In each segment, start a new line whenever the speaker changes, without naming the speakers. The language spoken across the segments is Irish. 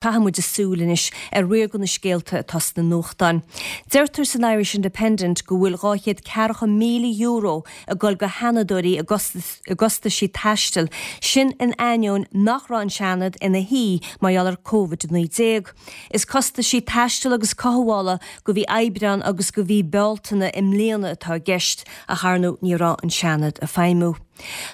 Caithfidh muid súil anois ar riar de na scéalta atá sna nuachtáin. Deirtear san Irish Independent go bhfuil €240,000 ag dul go Sheanadóirí i gcostaisí taistil, sin in ainneoin nach raibh an Seanad ina shuí mar gheall ar Covid-19. Is costaisí taistil agus cothabhála go mhí Aibreán agus go mhí Bealtaine i mbliana atá i gceist, ach ar ndóigh ní raibh an Seanad ag feidhmiú.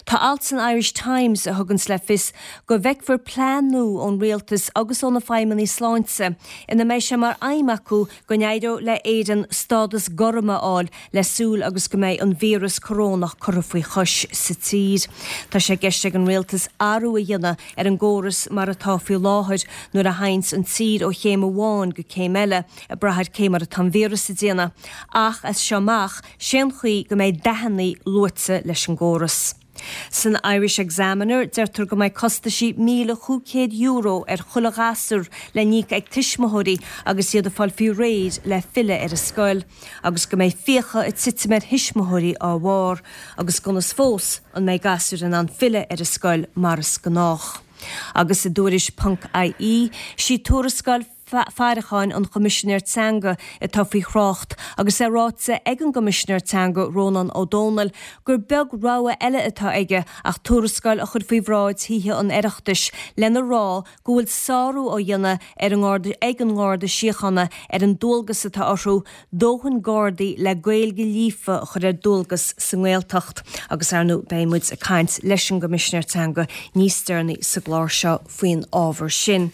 Tá alt san Irish Times a thuganns le fios go bhfeicfear plean nua ón rialtas agus ó na feidhmeannaigh sláinte ina mbeidh sé mar aidhm acu go n-éireodh le Éirinn stádas gorm a fháil le súil agus go mbeidh an víreas corónach curtha faoi chois sa tír. Tá sé i gceist ag an rialtas athrú a dhéanamh ar an gcóras mar atá faoi láthair nuair a théanns an tír ó chéim amháin go céim eile ag brath ar cé mar atá an víreas ag déanamh ach as seo amach Sén chaoi go mbeidh dathannaí luaite leis an gcóras. San Irish Examiner, deirtear go mbeidh costaisí €1,500 ar chuile ghasúr le n-íoc ag tuismitheoirí agus iad ag fáil faoi réir le filleadh ar an scoil, agus go mbeidh fiacha ag titim ar thuismitheoirí á bharr, agus gan fhios fós an mbeidh gasúir in ann filleadh ar an scoil mar is gnách. Agus i dTuairisc ponc IE, sí tuarascáil. faireacháin an Choimisinéir Teanga atá faoi thrácht agus é ráite ag an gCoimisinéir Teanga Rónán Ó Domhnaill gur beag rogha eile atá aige ach tuarascáil a chur faoi bhráid Thithe an Oireachtais lena rá go bhfuil sárú á dhéanamh ar an nGarda ag an nGarda Síochána ar an dualgas atá orthu dóthain Gardaí le Gaeilge líofa a chur ar dualgas sa nGaeltacht agus ar ndóigh beidh muid ag caint leis an gCoimisinéir Teanga níos deireanaí sa gclár seo faoin ábhar sin.